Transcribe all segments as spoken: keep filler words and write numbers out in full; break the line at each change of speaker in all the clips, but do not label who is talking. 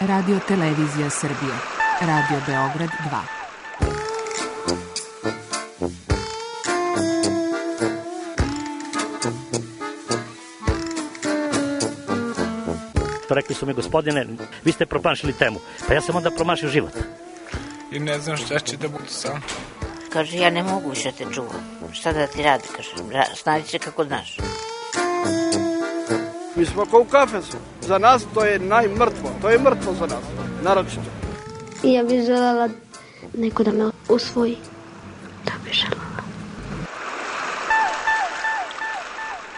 Radio Televizija Srbije, Radio Beograd dva.
Rekli su mi, gospodine, vi ste promašili temu. Pa ja sam onda promašio život.
I ne znam šta će da bude sam.
Kaže, ja ne mogu više te čuvam. Šta da ti radi, kaže, snađi se kako znaš.
Mi smo kao u kafesu. Za nas to je najmrtvo. To je mrtvo za nas, naročito.
I ja bih želela neko da me usvoji. Da bih želela.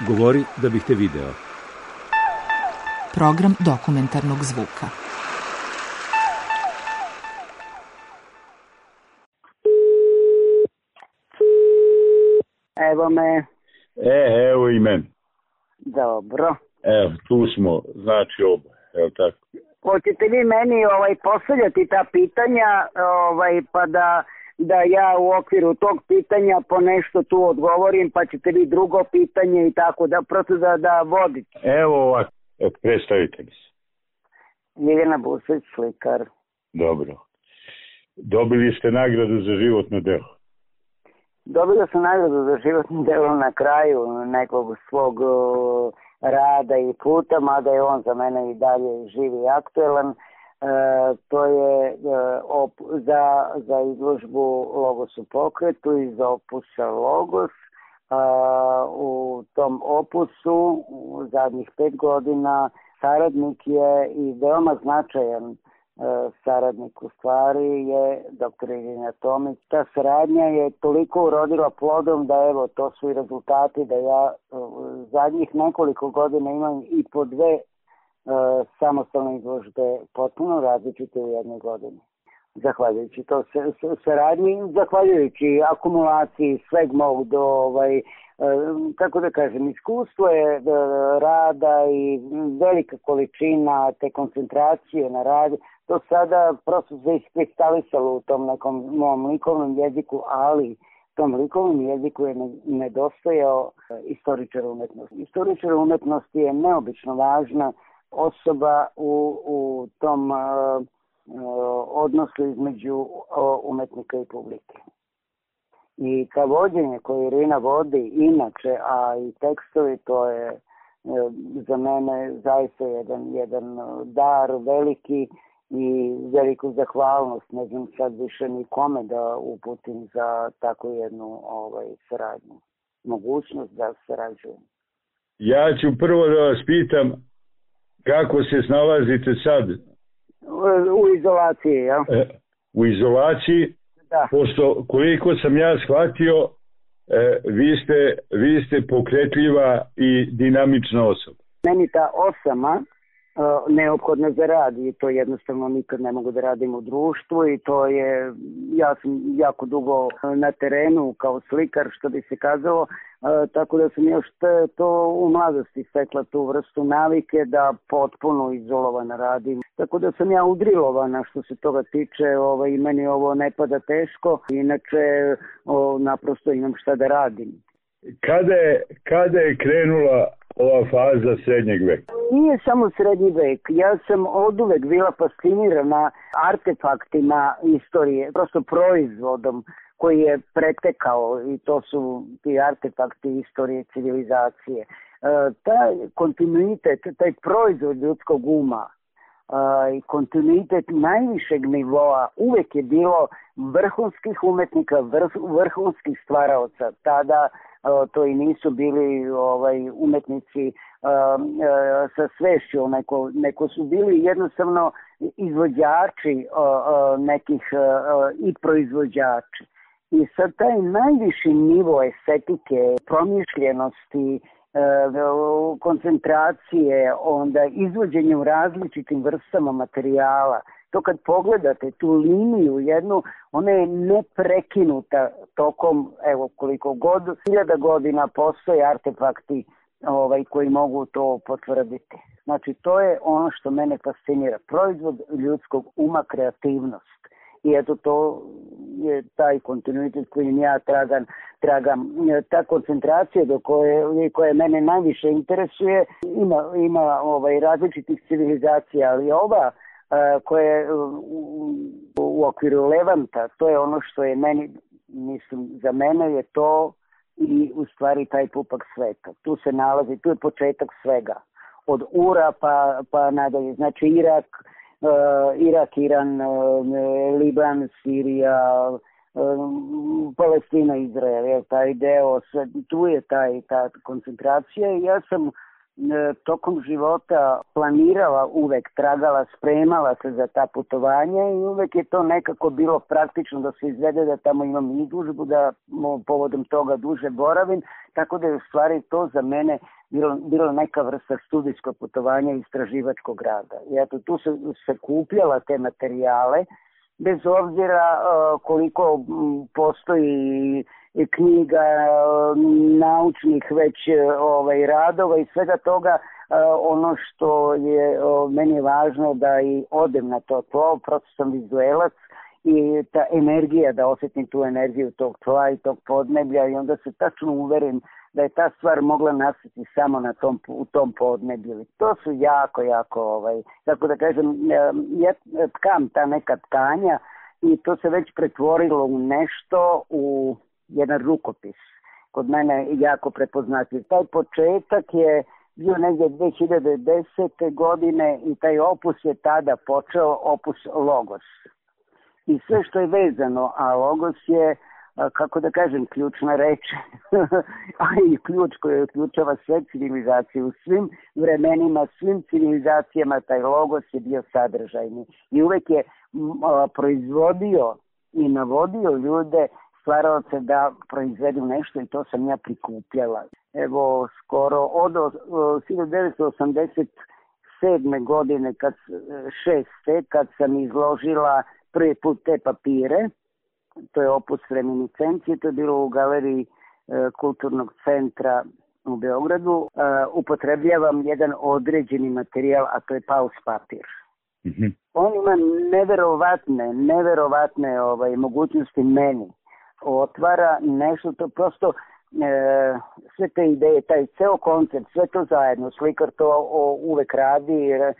Govori da bih te video.
Program dokumentarnog zvuka.
Evo me.
E, evo i men.
Dobro.
Evo, tu smo, znači oba, evo tako.
Hoćete vi meni ovaj, postavljati ta pitanja, ovaj, pa da, da ja u okviru tog pitanja po nešto tu odgovorim, pa ćete vi drugo pitanje i tako, da prosto da, da vodite.
Evo ovako, evo, predstavite mi se.
Ljiljana Buseć, slikar.
Dobro. Dobili ste nagradu za životno delo.
Dobila sam nagradu za životno delo na kraju nekog svog uh, rada i puta, mada je on za mene i dalje živ i aktuelan. E, to je e, op, za, za izložbu Logos u pokretu iz opusa Logos. E, u tom opusu u zadnjih pet godina saradnik je i veoma značajan saradnik u stvari je doktor Irina Tomić. Ta saradnja je toliko urodila plodom da evo to su i rezultati da ja zadnjih nekoliko godina imam i po dve uh, samostalne izložbe potpuno različite u jednoj godini. Zahvaljujući to saradnji, zahvaljujući akumulaciji sveg mog do ovaj, kako da kažem, iskustvo je rada i velika količina te koncentracije na rad, to sada prosto se iskristalisalo u tom nekom mom likovnom jeziku, ali tom likovnom jeziku je nedostajao istoričar umetnosti. Istoričar umetnosti je neobično važna osoba u, u tom uh, odnosu između umetnika i publike. I ta vođenje koje Irina vodi inače, a i tekstovi, to je za mene zaista jedan, jedan dar veliki i veliku zahvalnost. Ne znam sad više nikome da uputim za takvu jednu ovaj, saradnju. Mogućnost da sarađujem.
Ja ću prvo da vas pitam kako se snalazite sad?
U izolaciji, ja?
E, u izolaciji? Da. Pošto koliko sam ja shvatio, e, vi, ste, vi ste pokretljiva i dinamična osoba.
Meni ta osama uh, neophodna za rad i to jednostavno nikad ne mogu da radim u društvu i to je, ja sam jako dugo na terenu kao slikar što bi se kazalo, uh, tako da sam još to u mladosti stekla tu vrstu navike da potpuno izolovana radim. Tako da sam ja udrilovana što se toga tiče, ovaj, meni ovo ne pada teško, inače o, naprosto imam šta da radim.
Kada je, kada je krenula ova faza srednjeg veka?
Nije samo srednji vek, ja sam oduvek bila fascinirana artefaktima istorije, prosto proizvodom koji je pretekao i to su ti artefakti istorije civilizacije. E, taj kontinuitet, taj proizvod ljudskog uma, Uh, i kontinuitet najvišeg nivoa uvek je bilo vrhunskih umetnika, vrh, vrhunskih stvaraoca. Tada uh, to i nisu bili ovaj, umetnici uh, uh, sa svešću, neko, neko su bili jednostavno izvođači uh, uh, nekih uh, i proizvođači. I sad taj najviši nivo estetike, promišljenosti, koncentracije, onda izvođenje u različitim vrstama materijala. To kad pogledate tu liniju jednu, ona je neprekinuta tokom, evo koliko god, hiljada godina postoje artefakti ovaj, koji mogu to potvrditi. Znači to je ono što mene fascinira. Proizvod ljudskog uma, kreativnost. I eto to je taj kontinuitet kojim ja tragam, tragam. Ta koncentracija do koje, koje mene najviše interesuje ima, ima ovaj, različitih civilizacija, ali ova koje je u, u okviru Levanta, to je ono što je meni, mislim, za mene je to i u stvari taj pupak sveta. Tu se nalazi, tu je početak svega. Od Ura pa, pa nadalje. Znači Irak, uh, Irak, Iran, uh, Liban, Sirija, uh, Palestina, Izrael, je taj deo, sve, tu je taj, ta koncentracija i ja sam tokom života planirala uvek, tragala, spremala se za ta putovanja i uvek je to nekako bilo praktično da se izvede da tamo imam izložbu, da povodom toga duže boravim, tako da je u stvari to za mene bilo, bilo neka vrsta studijskog putovanja i istraživačkog rada. I eto, tu se, se kupljala te materijale, bez obzira uh, koliko um, postoji knjiga, naučnih već ovaj, radova i svega toga, ono što je meni je važno da i odem na to tlo, prosto sam vizuelac i ta energija, da osjetim tu energiju tog tla i tog podneblja i onda se tačno uverim da je ta stvar mogla nastati samo na tom, u tom podneblju. To su jako, jako, ovaj, tako da kažem, ja tkam ta neka tkanja i to se već pretvorilo u nešto, u jedan rukopis, kod mene jako prepoznatljiv. Taj početak je bio negdje dve hiljade desete. godine i taj opus je tada počeo, opus Logos. I sve što je vezano, a Logos je, kako da kažem, ključna reč, a i ključ koji uključava sve civilizacije. U svim vremenima, svim civilizacijama taj Logos je bio sadržajni. I uvek je a, proizvodio i navodio ljude, stvarao se da proizvedu nešto i to sam ja prikupljala. Evo, skoro od hiljadu devetsto osamdeset sedme. godine, kad, šeste, kad sam izložila prvi put te papire, to je opus reminiscencije, to je bilo u galeriji e, Kulturnog centra u Beogradu, e, upotrebljavam jedan određeni materijal, a to je paus papir. Mm-hmm. On ima neverovatne, neverovatne ovaj, mogućnosti meni. Otvara nešto, to prosto e, sve te ideje, taj ceo koncept, sve to zajedno, slikar to o, uvek radi, e,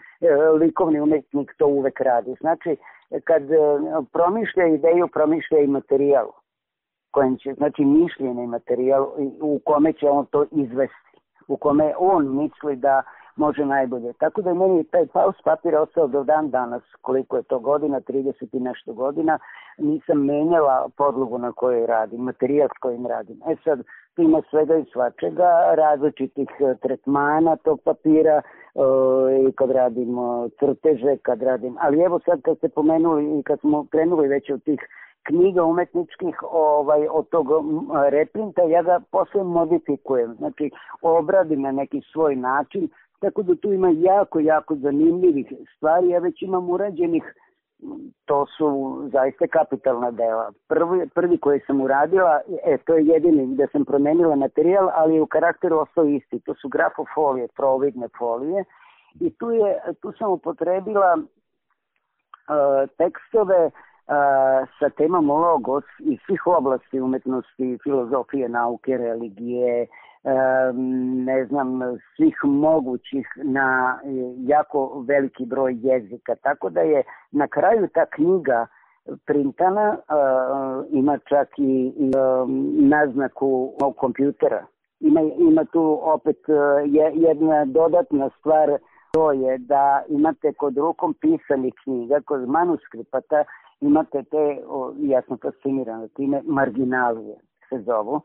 likovni umetnik to uvek radi. Znači, kad e, promišlja ideju, promišlja i materijal, kojim će, znači mišljenje materijal u kome će on to izvesti, u kome on misli da može najbolje. Tako da je meni taj paus papir ostao do dan danas, koliko je to godina, trideset i nešto godina, nisam menjala podlogu na kojoj radim, materijal s kojim radim. E sad, ima svega i svačega, različitih tretmana tog papira, i kad radim crteže, kad radim, ali evo sad kad ste pomenuli i kad smo krenuli već od tih knjiga umetničkih, ovaj, od tog reprinta, ja ga posle modifikujem, znači obradim na neki svoj način, tako da tu ima jako, jako zanimljivih stvari, ja već imam urađenih, to su zaista kapitalna dela. Prvi, prvi koji sam uradila, e, to je jedini gde sam promenila materijal, ali je u karakteru ostao isti, to su grafofolije, providne folije, i tu, je, tu sam upotrebila uh, tekstove uh, sa temom Logos iz svih oblasti umetnosti, filozofije, nauke, religije, ne znam, svih mogućih na jako veliki broj jezika. Tako da je na kraju ta knjiga printana, ima čak i, i naznaku kompjutera. Ima, ima tu opet jedna dodatna stvar, to je da imate kod rukom pisanih knjiga, kod manuskripata imate te, ja sam fascinirana time, marginalije se zovu.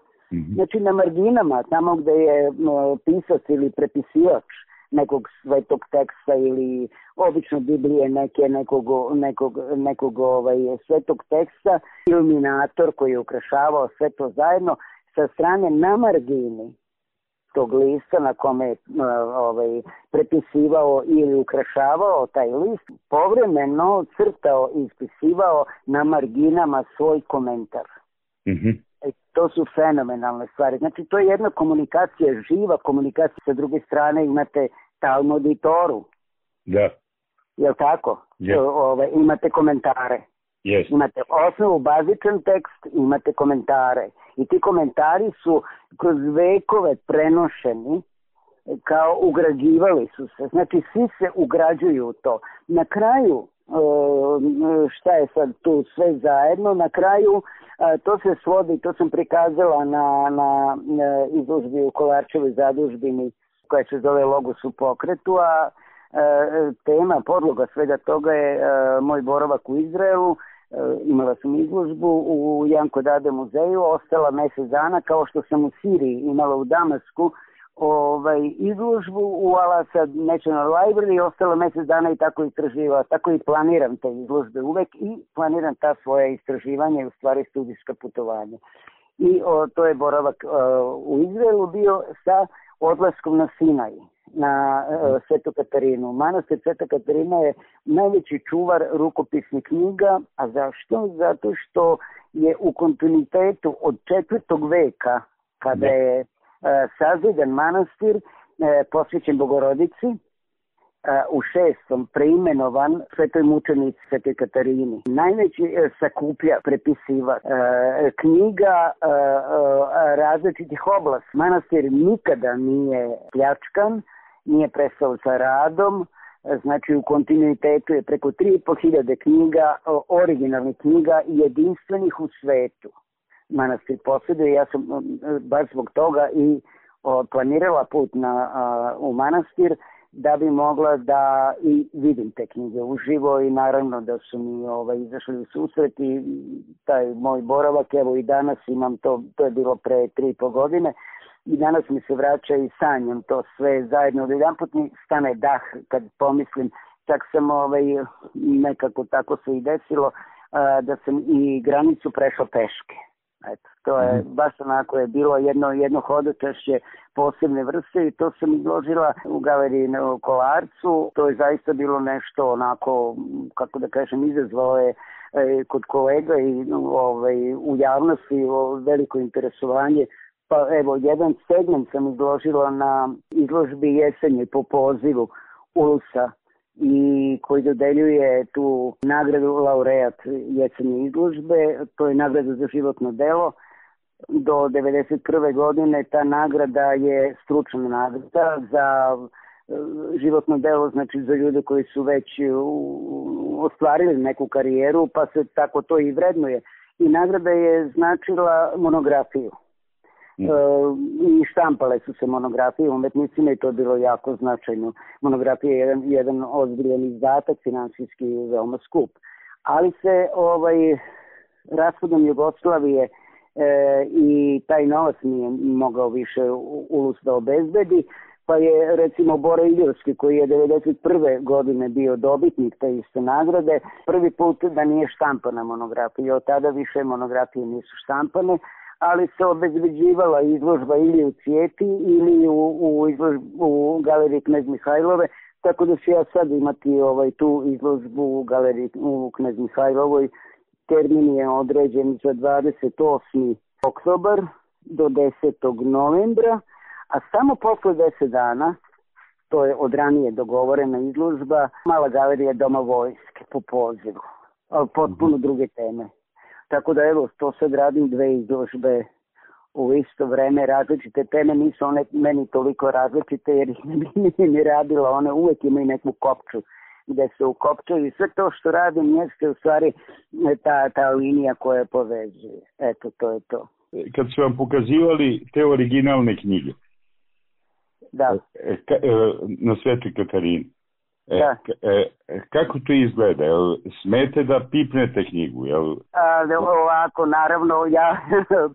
Znači na marginama, tamo gde je no, pisac ili prepisivač nekog svetog teksta ili obično Biblije neke, nekog, nekog, nekog ovaj, svetog teksta, iluminator koji je ukrašavao sve to zajedno, sa strane na margini tog lista na kome je ovaj, prepisivao ili ukrašavao taj list, povremeno crtao i ispisivao na marginama svoj komentar. Mm-hmm. To su fenomenalne stvari. Znači, to je jedna komunikacija, živa komunikacija. Sa druge strane imate Talmud i Toru.
Da.
Jel' tako?
Yes.
Ove, imate komentare.
Yes.
Imate osnovu, bazičan tekst, imate komentare. I ti komentari su kroz vekove prenošeni, kao ugrađivali su se. Znači, svi se ugrađuju u to. Na kraju šta je sad tu sve zajedno. Na kraju to se svodi, to sam prikazala na, na, na izložbi u Kolarčevoj zadužbini koja se zove Logos u pokretu, a tema, podloga svega toga je moj boravak u Izraelu. Imala sam izložbu u Janko Dade muzeju, ostala mjesec dana, kao što sam u Siriji imala u Damasku ovaj, izložbu u Al-Asad National Library, ostala mjesec dana i tako istraživala, tako i planiram te izložbe uvek i planiram ta svoja istraživanja i u stvari studijska putovanja. I o, to je boravak o, u Izraelu bio sa odlaskom na Sinaj, na uh, Svetu Katarinu. Manastir Sveta Katarina je najveći čuvar rukopisnih knjiga, a zašto? Zato što je u kontinuitetu od četvrtog veka, kada je uh, sazidan manastir uh, posvećen Bogorodici, uh, u šestom preimenovan Svetoj mučenici Svetoj Katarini. Najveći uh, sakuplja, prepisiva uh, knjiga uh, uh, različitih oblasti. Manastir nikada nije pljačkan, nije prestao sa radom, znači u kontinuitetu je preko tri i po hiljade knjiga, originalnih knjiga jedinstvenih u svetu. Manastir posjeduje, ja sam baš zbog toga i planirala put na, u manastir da bi mogla da i vidim te knjige uživo i naravno da su mi ovaj, izašli u susret i taj moj boravak, evo i danas imam to, to je bilo pre tri i po godine, i danas mi se vraća i sanjam to sve zajedno. Jedanput mi stane dah kad pomislim, čak sam ovaj, nekako tako se i desilo, da sam i granicu prešao peške. Eto, to je baš onako je bilo jedno, jedno hodočašće posebne vrste i to sam izložila u galeriji na Kolarcu. To je zaista bilo nešto onako, kako da kažem, izazvalo je e, kod kolega i ovaj, u javnosti veliko interesovanje. Pa evo, jedan segment sam izložila na izložbi Jesenje po pozivu Ulusa i koji dodeljuje tu nagradu laureat Jesenje izložbe. To je nagrada za životno delo. Do devedeset prve godine ta nagrada je stručna nagrada za životno delo, znači za ljude koji su već ostvarili neku karijeru, pa se tako to i vrednuje. I nagrada je značila monografiju. Mm. E, i štampale su se monografije umetnicima i to je bilo jako značajno. Monografija je jedan, jedan ozbiljan izdatak, finansijski veoma skup. Ali se ovaj, raspadom Jugoslavije e, i taj novac nije mogao više Ulus da obezbedi, pa je recimo Bora Iljorski, koji je devedeset prve godine bio dobitnik te iste nagrade, prvi put da nije štampana monografija. Od tada više monografije nisu štampane, ali se obezbeđivala izložba ili u Cijeti ili u, u, izlož, u galeriji Knez Mihajlove, tako da ću ja sad imati ovaj, tu izložbu u galeriji u Knez Mihajlovoj. Termin je određen za dvadeset osmi oktobar do desetog novembra, a samo posle deset dana, to je od ranije dogovorena izložba, mala galerija Doma vojske po pozivu, potpuno druge teme. Tako da evo, to sad radim dve izložbe u isto vreme, različite teme, nisu one meni toliko različite jer ih ne bi ni radila, one uvek imaju neku kopču gde se ukopčaju i sve to što radim jeste u stvari ta, ta linija koja povezuje. Eto, to je to.
Kad su vam pokazivali te originalne knjige,
da.
Na Svetoj Katarini,
Da.
E, kako to izgleda? Jel smete da pipnete knjigu? Jel...
A, ovako, naravno, ja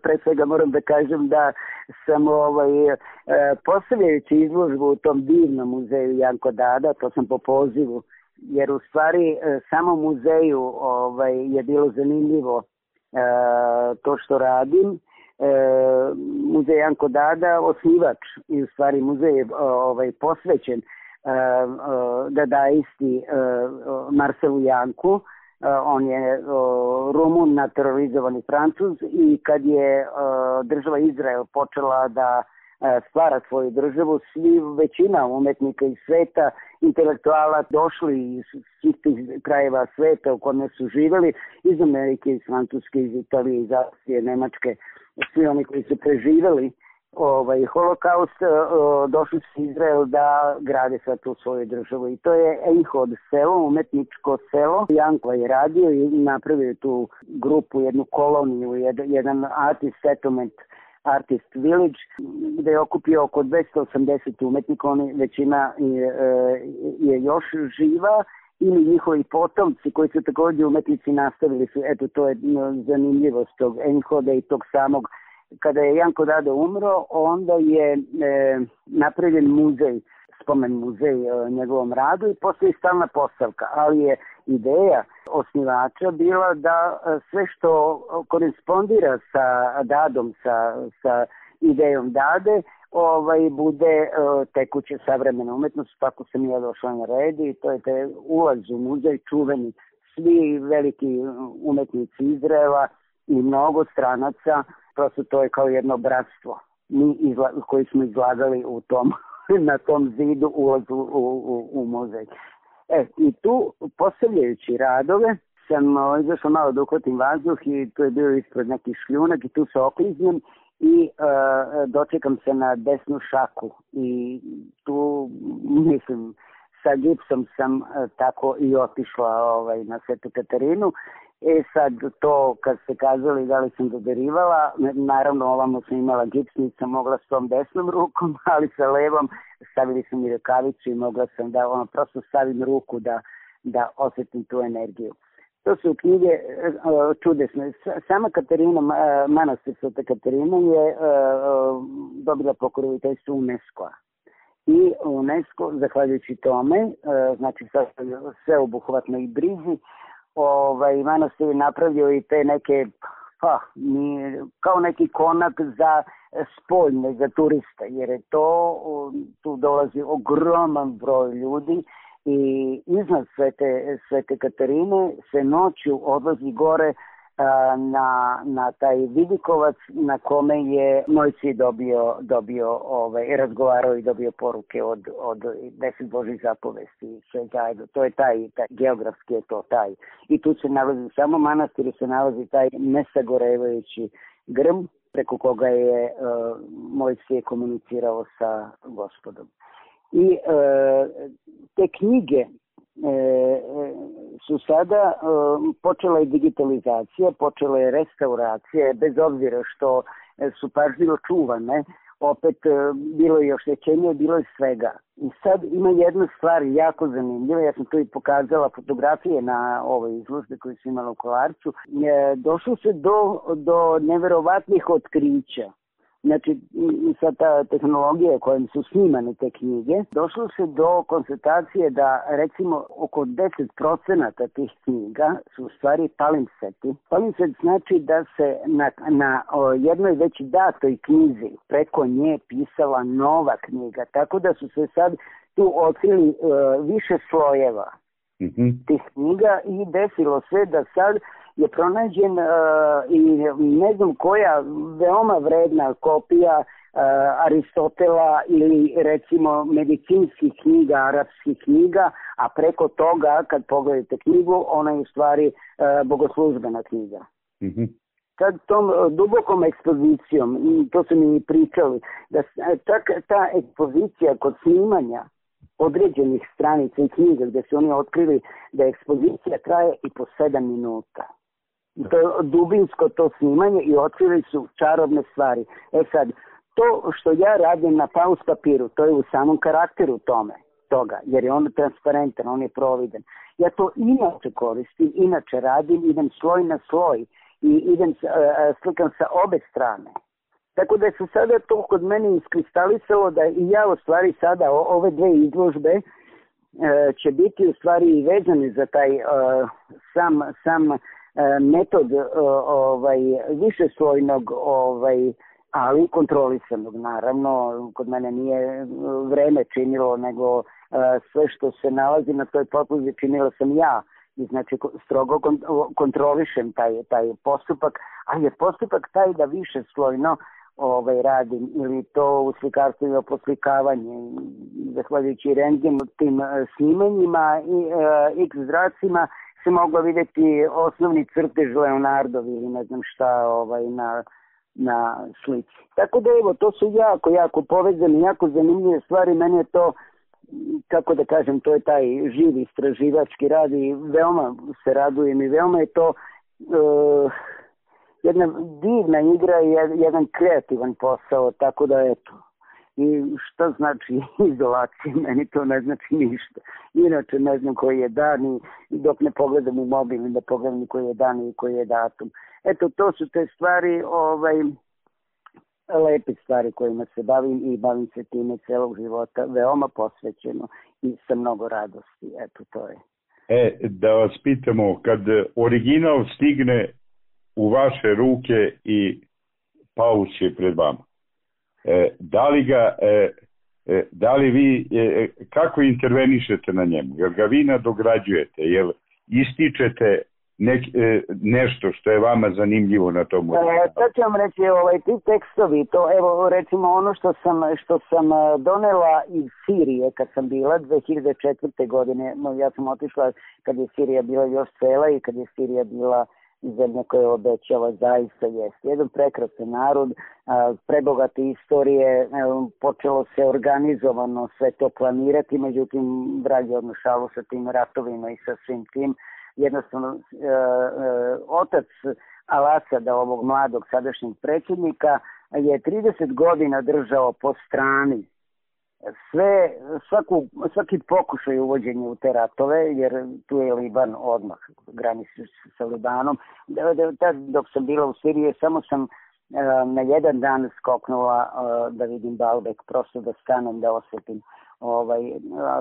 pre svega moram da kažem da sam ovaj, postavljajući izložbu u tom divnom muzeju Janko Dada, to sam po pozivu, jer u stvari samo muzeju ovaj, je bilo zanimljivo e, to što radim. E, muzej Janko Dada, osnivač i u stvari muzej je ovaj, posvećen dadaisti Marcelu Janku. On je Rumun naturalizovani Francuz i kad je država Izrael počela da stvara svoju državu, svi, većina umetnika iz sveta, intelektuala došli iz svih tih krajeva sveta u kome su živjeli, iz Amerike, iz Francuske, iz Italije, iz Austrije, Nemačke, svi oni koji su preživjeli ovaj, holokaust, došli su Izrael da grade sad tu svoju državu. I to je Einhod selo, umetničko selo. Janko je radio i napravio tu grupu, jednu koloniju, jedan artist settlement, Artist Village, gde je okupio oko dvesta osamdeset umetnika, oni većina je, je još živa, ili njihovi potomci koji su također umetnici nastavili su, eto to je zanimljivost tog Einhoda i tog samog. Kada je Janko Dado umro, onda je e, napravljen muzej, spomen muzej e, njegovom radu i postoji stalna postavka, ali je ideja osnivača bila da e, sve što korespondira sa Dadom, sa, sa idejom Dade, ovaj, bude e, tekuće savremena umetnost, tako sam ja došla na red i to je te ulaz u muzej čuveni, svi veliki umetnici Izraela i mnogo stranaca. Prosto to je kao jedno bratstvo mi izla, koji smo izlagali u tom, na tom zidu ulazu u, u, u muzej. E, i tu postavljajući radove sam o, izašao malo da uhvatim vazduh i to je bio ispred nekih šljunak i tu se okliznem i e, dočekam se na desnu šaku i tu mislim sa gipsom sam e, tako i otišla ovaj, na Svetu Katarinu. E sad to kad ste kazali da li sam dodarivala, naravno ovamo sam imala gips, nisam mogla s tom desnom rukom, ali sa levom stavili sam i rukavicu i mogla sam da ono, prosto stavim ruku da, da osjetim tu energiju. To su knjige čudesne. Sama Katarina, manastir Sveta Katarina je dobila pokroviteljstvo UNESCO-a. I UNESCO, zahvaljujući tome, znači sve obuhvatno i brizi, ovaj, manastir je napravio i te neke, pa, ni, kao neki konak za spoljne, za turiste, jer je to, tu dolazi ogroman broj ljudi i iznad Svete, Svete Katarine se noću odlazi gore a, na, na taj vidikovac na kome je Mojsije dobio, dobio ovaj, razgovarao i dobio poruke od, od deset Božih zapovesti. Sve zajedno. To je taj, taj, geografski je to taj. I tu se nalazi, samo manastiru se nalazi taj nesagorevajući grm preko koga je uh, Mojsije komunicirao sa Gospodom. I e, te knjige e, su sada e, počela je digitalizacija, počela je restauracija, bez obzira što su pažljivo čuvane, opet e, bilo je oštećenje, bilo je svega. I sad ima jedna stvar jako zanimljiva, ja sam to i pokazala fotografije na ovoj izložbi koju su imala u Kolarcu, e, došlo se do, do neverovatnih otkrića. Znači, sad ta tehnologija kojom su snimane te knjige, došlo se do konstatacije da recimo oko deset procenata tih knjiga su u stvari palimpsesti. Palimpsest znači da se na, na o, jednoj već datoj knjizi preko nje pisala nova knjiga, tako da su se sad tu otkrili uh, više slojeva mm-hmm. tih knjiga i desilo se da sad je pronađen uh, i ne znam koja veoma vredna kopija uh, Aristotela ili recimo medicinskih knjiga, arapskih knjiga, a preko toga kad pogledate knjigu, ona je u stvari uh, bogoslužbena knjiga. Mm-hmm. Kad tom uh, dubokom ekspozicijom, to su mi pričali, da tak, ta ekspozicija kod snimanja određenih stranica i knjiga gdje su oni otkrili da ekspozicija traje i po sedam minuta. To je dubinsko to snimanje i otkrili su čarobne stvari. E sad, to što ja radim na paus papiru, to je u samom karakteru tome, toga, jer je on transparentan, on je providen. Ja to inače koristim, inače radim, idem sloj na sloj i idem, uh, slikam sa obe strane. Tako da se sada to kod mene iskristalisalo da i ja u stvari sada o, ove dve izložbe uh, će biti u stvari vezane za taj uh, sam, sam metod ovaj, višeslojnog, ovaj, ali kontrolisanog. Naravno, kod mene nije vreme činilo, nego sve što se nalazi na toj podlozi činila sam ja. I znači strogo kontrolišem taj, taj postupak, ali je postupak taj da višeslojno ovaj, radim, ili to u slikarstvu ili poslikavanje. Zahvaljujući rentgenu tim snimanjima i uh, X zracima se moglo vidjeti osnovni crtež Leonardovi ili ne znam šta ovaj, na, na slici. Tako da evo, to su jako, jako povezane, jako zanimljive stvari. Meni je to, kako da kažem, to je taj živi istraživački rad i veoma se radujem i veoma je to uh, jedna divna igra i jedan kreativan posao, tako da eto. I šta znači izolacija? Meni to ne znači ništa. Inače ne znam koji je dan i dok ne pogledam u mobil i da pogledam koji je dan i koji je datum. Eto, to su te stvari, ovaj, lepe stvari kojima se bavim i bavim se time celog života, veoma posvećeno i sa mnogo radosti. Eto, to je.
E, da vas pitamo, kad original stigne u vaše ruke i Paus je pred vama, e, da li ga, e, e, da li vi, e, kako intervenišete na njemu? Jel ga vi nadograđujete? Jel ističete nek, e, nešto što je vama zanimljivo na tom originalu?
E, to ću vam reći, ovaj, ti tekstovi, to evo recimo ono što sam, što sam donela iz Sirije kad sam bila dve hiljade četvrte. godine, no, ja sam otišla kad je Sirija bila još cela i kad je Sirija bila zemlja koja obećava, zaista jest. Jedan prekrasan narod, prebogate istorije, počelo se organizovano sve to planirati, međutim vrag je odnošalo sa tim ratovima i sa svim tim. Jednostavno, otac Al-Asada, ovog mladog sadašnjeg predsjednika, je trideset godina držao po strani sve, svaku, svaki pokušaj uvođenja u te ratove, jer tu je Liban odmah, graniči sa Libanom. Dok sam bila u Siriji, samo sam na jedan dan skoknula da vidim Baalbek, prosto da stanem, da osjetim. Ovaj,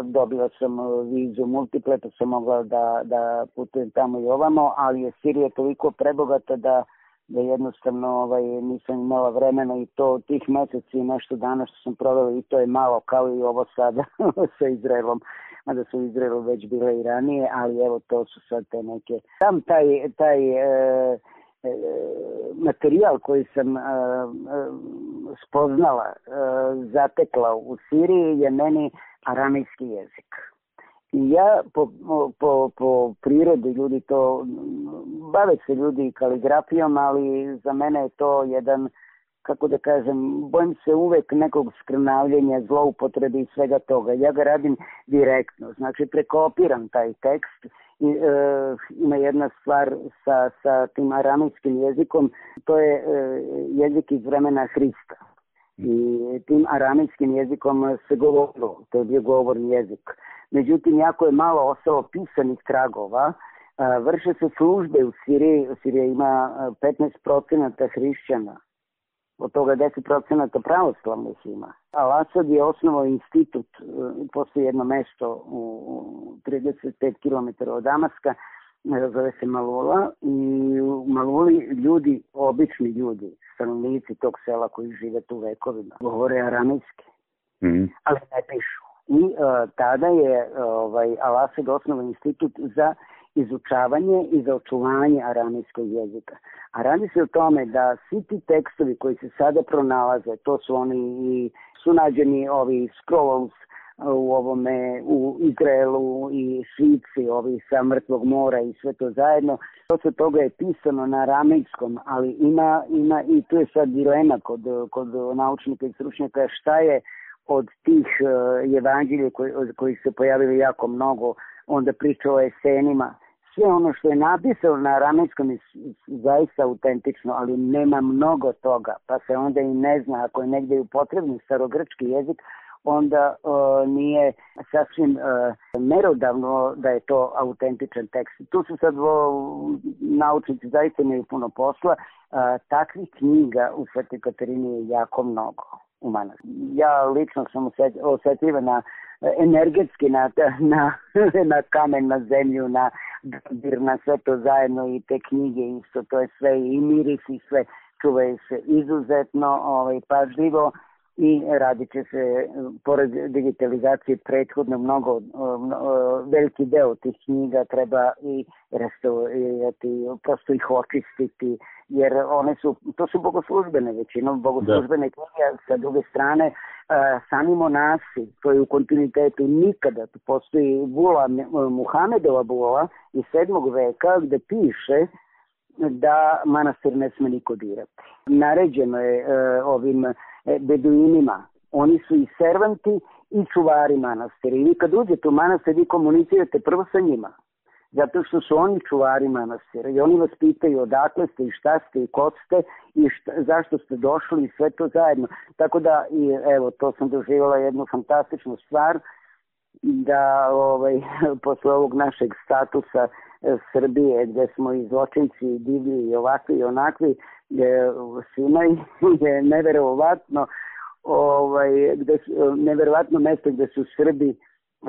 dobila sam vizu multiple, pa sam mogla da, da putujem tamo i ovamo, ali je Sirija toliko prebogata da da jednostavno ovaj, nisam imala vremena i to tih meseci i nešto dana što sam provela i to je malo kao i ovo sada sa Izraelom, mada su u Izraelu već bile i ranije, ali evo to su sad te neke. Sam taj, taj e, e, materijal koji sam e, e, spoznala, e, zatekla u Siriji je meni aramejski jezik. I ja po, po, po prirodi ljudi to, bave se ljudi kaligrafijom, ali za mene je to jedan, kako da kažem, bojim se uvek nekog skrnavljenja, zloupotrebe i svega toga. Ja ga radim direktno, znači prekopiram taj tekst i e, ima jedna stvar sa, sa tim aramejskim jezikom, to je e, jezik iz vremena Hrista. I tim aramejskim jezikom se govorilo, to je bio govorni jezik. Međutim, jako je malo ostalo pisanih tragova. Vrše se službe u Siriji. Sirija ima petnaest procenata hrišćana. Od toga deset procenata pravoslavnih ima. Al-Asad je osnovao institut, postoji jedno mesto u trideset pet kilometara od Damaska, zove se Malula, i u Maluli ljudi, obični ljudi, stanovnici tog sela koji žive tu vekovima, govore aramejski, mm-hmm. ali ne pišu. I uh, tada je ovaj, Al-Asad osnovao institut za izučavanje i za očuvanje aramejskog jezika. A radi se o tome da svi ti tekstovi koji se sada pronalaze, to su oni i su nađeni ovi scrolls u ovome, u Izraelu i Švici, ovi sa Mrtvog mora i sve to zajedno. Dosta toga je pisano na aramejskom, ali ima, ima i tu je sad dilema kod, kod naučnika i stručnjaka šta je od tih uh, evanđelja koji, koji se pojavili jako mnogo, onda priča o esenima. Sve ono što je napisano na aramejskom je zaista autentično, ali nema mnogo toga, pa se onda i ne zna, ako je negdje upotrebljen starogrčki jezik, onda uh, nije sasvim uh, merodavno da je to autentičan tekst. Tu su sad o, naučnici zaista imaju puno posla. Uh, takvih knjiga u Svetoj Katarini je jako mnogo u manastiru. Ja lično sam osjetljiva na energetski na, na, na kamen, na zemlju, na dodir, na sve to zajedno i te knjige isto, to je sve i miris i sve čuvaju se izuzetno ovaj, pažljivo i radit će se, pored digitalizacije prethodno mnogo, veliki deo tih knjiga treba i restaurirati, prosto ih očistiti, jer one su, to su bogoslužbene većinom, bogoslužbene knjige, sa druge strane sami monasi koji u kontinuitetu nikada, postoji bula, Muhamedova bula iz sedmog veka gde piše da manastir ne sme niko dirati. Naređeno je e, ovim e, beduinima, oni su i servanti i čuvari manastira. I vi kad uđete u manastir, vi komunicirate prvo sa njima, zato što su oni čuvari manastira i oni vas pitaju odakle ste i šta ste i ko ste i šta, zašto ste došli i sve to zajedno. Tako da, i, evo, to sam doživjela jednu fantastičnu stvar, da ovaj, posle ovog našeg statusa Srbije, gde smo i zločinci, divlji i ovakvi i onakvi, je, svima je neverovatno, ovaj, gde, neverovatno mesto gde su Srbi uh,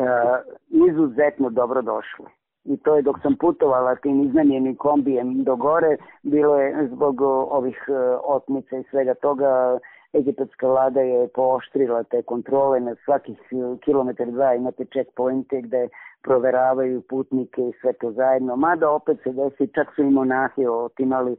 izuzetno dobro došli. I to je dok sam putovala tim iznajmljenim kombijem do gore, bilo je zbog ovih uh, otmica i svega toga, egipatska vlada je pooštrila te kontrole, na svakih kilometar dva imate checkpointe gde proveravaju putnike i sve to zajedno. Mada opet se desi, čak su i monahi otimali.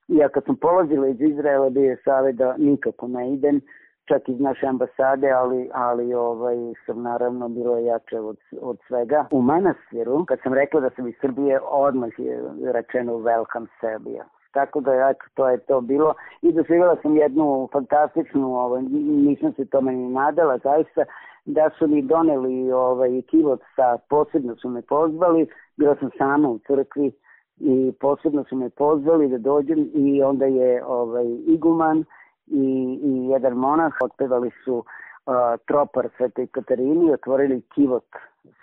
I ja kad sam polazila iz Izraela, bio je savjet da nikako ne idem, čak iz naše ambasade, ali, ali ovaj, sam naravno bilo jače od, od svega. U manastiru, kad sam rekla da sam iz Srbije, odmah je rečeno welcome Serbia. Tako da ja, to je to bilo. I doživjela sam jednu fantastičnu, ovaj, nisam se tome ni nadala, zaista, da su mi doneli ovaj, kivot sa, posebno su me pozvali, bila sam sama u crkvi i posebno su me pozvali da dođem i onda je ovaj, iguman i, i jedan monah otpevali su uh, tropar Svetoj Katarini, otvorili kivot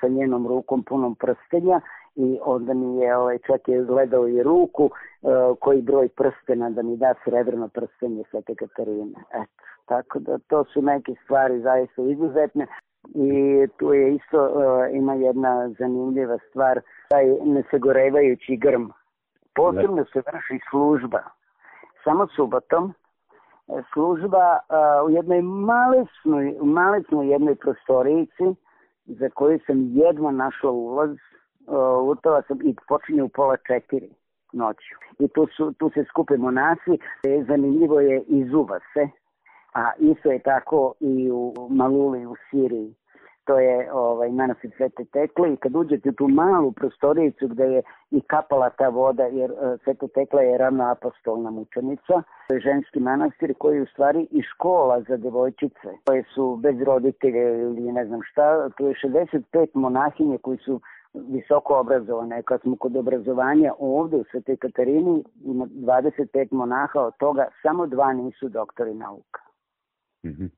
sa njenom rukom punom prstenja i onda mi je, ovaj, čak je gledao i ruku uh, koji broj prstena da mi da srebrno prstenje Svete Katarine. Eto, tako da to su neke stvari zaista izuzetne. I tu je isto, uh, ima jedna zanimljiva stvar, taj nesagorevajući grm. Posebno se vrši služba, samo subotom, služba uh, u jednoj malesnoj, malesnoj jednoj prostorijici za koju sam jedva našla ulaz, uh, utala sam i počinje u pola četiri noću. I tu, su, tu se skupe monasi, zanimljivo je izuva se, a isto je tako i u Maluli u Siriji. To je ovaj, manastir Svete Tekle i kad uđete u tu malu prostorijicu gde je i kapala ta voda, jer uh, Sveta Tekla je ravnoapostolna mučenica, to je ženski manastir koji je u stvari i škola za devojčice koje su bez roditelja ili ne znam šta. To je šezdeset pet monahinje koji su visoko obrazovane. Kad smo kod obrazovanja ovde u Svetoj Katarini ima dvadeset pet monaha, od toga samo dva nisu doktori nauka. Mm-hmm.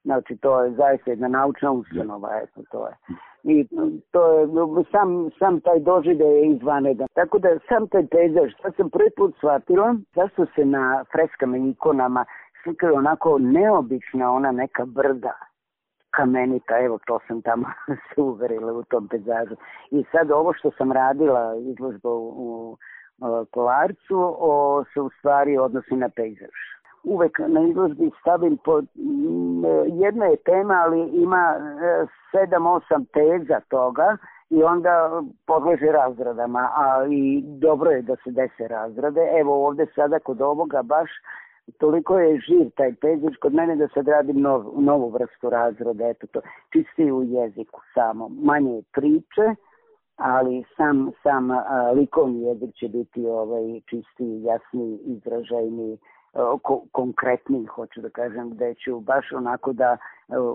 Znači, to je zaista jedna naučna ustanova, eto, to je. I to je, sam, sam taj doživljaj je izvanedan. Tako da sam taj pejzaž, što sam prvi put shvatila, zašto se na freskama i ikonama slikaju onako neobična ona neka brda, kamenita, evo to sam tamo se uverila u tom pejzažu. I sad ovo što sam radila, izložba u, u, u Kolarcu, o, se u stvari odnosi na pejzaž. Uvek na izložbi stavim pod, jedna je tema, ali ima sedam osam teza toga i onda podleže razradama, a i dobro je da se dese razrade. Evo ovde sada kod ovoga baš toliko je živ taj pejzaž kod mene da sad radim nov, novu vrstu razrada, eto to, čistiji u jeziku samo, manje priče, ali sam, sam a, likovni jezik će biti ovaj, čistiji, jasniji, izražajniji, Ko, konkretniji, hoću da kažem, da ću baš onako da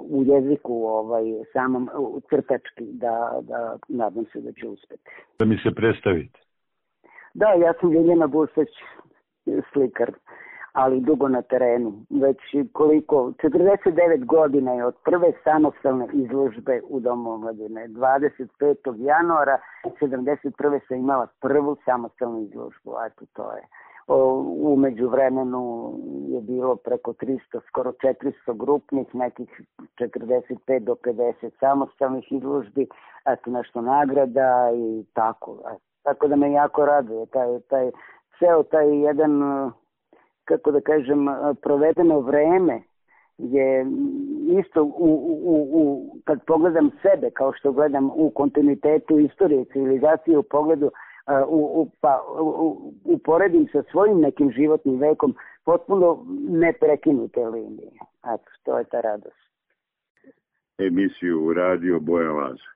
u jeziku ovaj, samom crtački da, da nadam se da će uspeti.
Da mi se predstavite.
Da, ja sam Ljiljana Busać, slikar, ali dugo na terenu. Već koliko, četrdeset devet godina je od prve samostalne izložbe u Domu omladine. dvadeset petog januara sedamdeset prve sam imala prvu samostalnu izložbu, a eto to je. U međuvremenu je bilo preko tristo, skoro četiristo grupnih, nekih četrdeset pet do pedeset samostalnih izložbi, eto nešto nagrada i tako. Tako da me jako raduje taj, taj, ceo taj jedan, kako da kažem, provedeno vreme je isto u, u, u, kad pogledam sebe, kao što gledam u kontinuitetu istorije civilizacije, u pogledu U, u, pa, u, uporedim sa svojim nekim životnim vekom potpuno neprekinute linije. Eto, to je ta radost.
Emisiju Radio Bojan Laza.